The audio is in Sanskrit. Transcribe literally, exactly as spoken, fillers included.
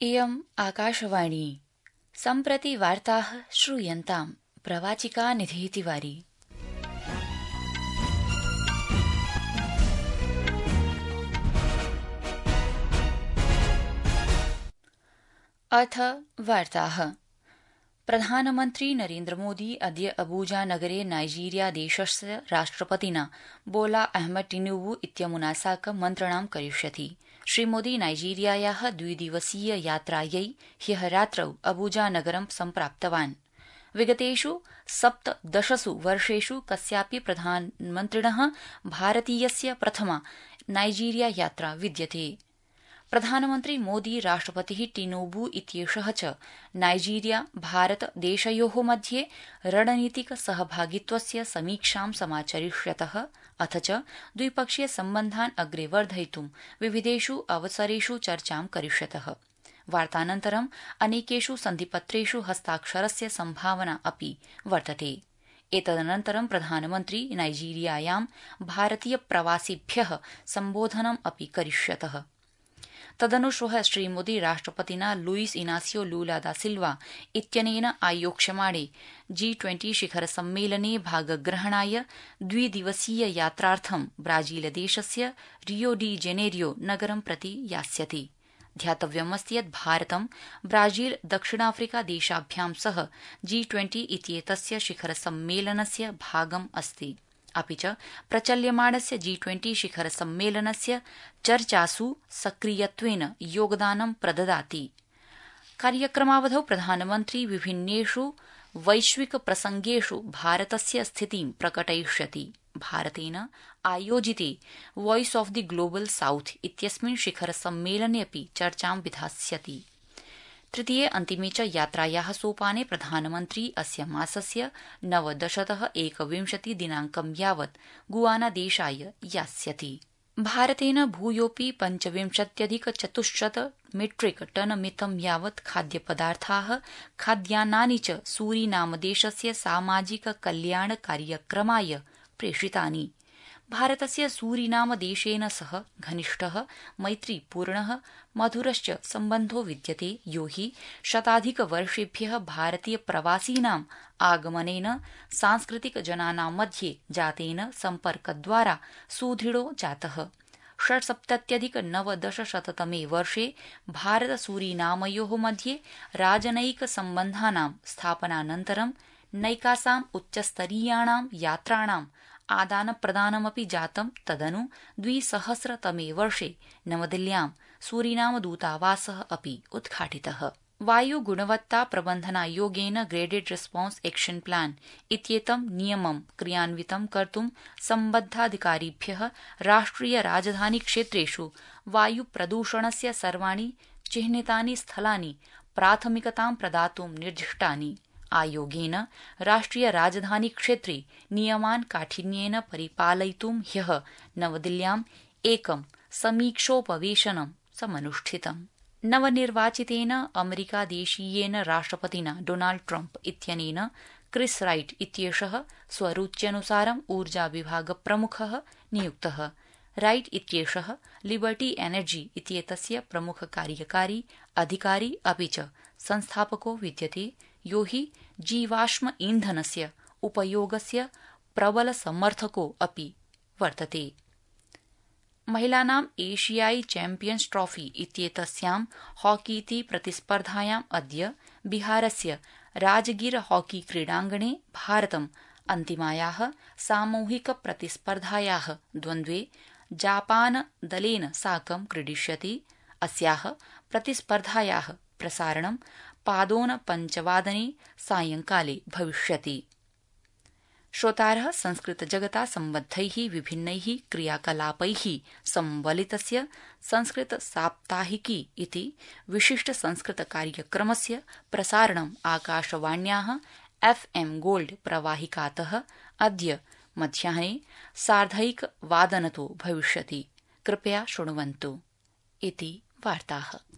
इयम् आकाशवाणी सम्प्रति वार्ताः श्रूयन्ताम् प्रवाचिका निधिः तिवारी। अथ वार्ताः। प्रधानमन्त्री नरेन्द्रमोदी अद्य अबूजा नगरे नाइजीरिया देशस्य राष्ट्रपतिना बोला अहमद टिनुबू इत्यमुना साकं मन्त्रणां करिष्यति। श्रीमोदी नाइजीरियायाः द्विदिवसीय यात्रायै ह्यः रात्रौ अबूजा नगरं सम्प्राप्तवान्। विगतेषु सप्तदशसु वर्षेषु कस्यापि प्रधानमन्त्रिणः भारतीयस्य प्रथमा नाइजीरिया यात्रा विद्यते। प्रधानमन्त्री मोदी राष्ट्रपतिः टिनुबू इत्येषः च नाइजीरिया भारत देशयोः मध्ये रणनीतिक सहभागित्वस्य समीक्षां समाचरिष्यतः अथ च द्विपक्षीय सम्बन्धान् अग्रे वर्धयितुं विविधेषु अवसरेषु चर्चां करिष्यतः। वार्तानन्तरं अनेकेषु सन्धिपत्रेषु हस्ताक्षरस्य सम्भावना अपि वर्तते। एतदनन्तरं प्रधानमन्त्री नाइजीरियायां भारतीय प्रवासिभ्यः सम्बोधनम् अपि करिष्यतः। तदनु श्वः श्रीमोदी राष्ट्रपतिना लुईस इनासियो लूला दा सिल्वा इत्यनेन आयोक्ष्यमाणे जी ट्वेंटी शिखर सम्मेलने भागग्रहणाय द्विदिवसीय यात्रार्थं ब्राजीलदेशस्य रियो डी जेनेरियो नगरं प्रति यास्यति। ध्यातव्यमस्ति यत् भारतं ब्राजील दक्षिणाफ्रिका देशाभ्यां सह जी ट्वेंटी इत्येतस्य शिखर सम्मेलनस्य भागम् अस्ति। अपि च प्रचल्यमाणस्य जी ट्वेंटी शिखर सम्मेलनस्य चर्चासु सक्रियत्वेन योगदानं प्रददाति। कार्यक्रमावधौ प्रधानमन्त्री विभिन्नेषु वैश्विक प्रसंगेषु भारतस्य स्थितिं प्रकटयिष्यति। भारतेन आयोजिते voice of the global south इत्यस्मिन् शिखर सम्मेलने अपि चर्चां विधास्यति। तृतीये अन्तिमे च यात्रायाः सोपाने प्रधानमन्त्री अस्य मासस्य नवदशतः एकविंशति दिनाङ्कं यावत् गुआना देशाय यास्यति। भारतेन भूयोऽपि पञ्चविंशत्यधिक चतुश्शत मीट्रिक टन मितं यावत् खाद्यपदार्थाः खाद्यान्नानि च सूरीनामदेशस्य सामाजिक कल्याण कार्यक्रमाय प्रेषितानि। भारतस्य सूरीनामदेशेन सह घनिष्ठः मैत्रीपूर्णः मधुरश्च सम्बन्धो विद्यते, यो हि शताधिकवर्षेभ्यः भारतीय प्रवासिनाम् आगमनेन सांस्कृतिक जनानां मध्ये जातेन सम्पर्कद्वारा सुदृढो जातः। षट्सप्तत्यधिक नवदशशततमे वर्षे भारत सूरीनामयोः मध्ये राजनयिक सम्बन्धानां स्थापनानन्तरं नैकासाम् उच्चस्तरीयाणां यात्राणां आदानप्रदानमपि जातं। तदनु द्विसहस्रतमे वर्षे नवदिल्ल्यां सूरीनाम दूतावासः अपि उद्घाटितः। वायुगुणवत्ता प्रबन्धनायोगेन ग्रेडेड रेस्पॉन्स एक्शन प्लान इत्येतं नियमं क्रियान्वितं कर्तुं सम्बद्धाधिकारिभ्यः राष्ट्रिय राजधानी क्षेत्रेषु वायुप्रदूषणस्य सर्वाणि चिह्नितानि स्थलानि प्राथमिकतां प्रदातुं निर्दिष्टानि। आयोगेन राष्ट्रिय राजधानी क्षेत्रे नियमान् काठिन्येन परिपालयितुं ह्यः नवदिल्ल्याम् एकं समीक्षोपवेशनं समनुष्ठितम्। नवनिर्वाचितेन अमेरिकादेशीयेन राष्ट्रपतिना डोनाल्ड ट्रम्प इत्यनेन क्रिस राइट इत्येषः स्वरुच्यनुसारम् ऊर्जाविभागप्रमुखः नियुक्तः। राइट इत्येषः लिबर्टी एनर्जी इत्येतस्य प्रमुखकार्यकारी अधिकारी अपि च संस्थापको विद्यते, यो हि जीवाश्म ईन्धनस्य उपयोगस्य प्रबल समर्थको अपि वर्तते। महिलानां एशियाई चैम्पियन्स् ट्रॉफी इत्येतस्यां हॉकीति प्रतिस्पर्धायाम् अद्य बिहारस्य राजगीर हॉकी क्रीडाङ्गणे भारतम् अन्तिमायाः सामूहिक प्रतिस्पर्धायाः द्वन्द्वे जापानदलेन साकं क्रीडिष्यति। अस्याः प्रतिस्पर्धायाः प्रसारणं पादोन पञ्चवादने सायंकाले भविष्यति। श्रोतारः संस्कृत जगता सम्बद्धैः विभिन्नैः क्रियाकलापैः संबलितस्य संस्कृत साप्ताहिकी इति विशिष्ट संस्कृत कार्यक्रमस्य प्रसारणम् आकाशवाण्याः एफ एम गोल्ड प्रवाहिकातः अद्य मध्याह्ने सार्धैकवादनतो भविष्यति। कृपया शृण्वन्तु इति वार्ताः।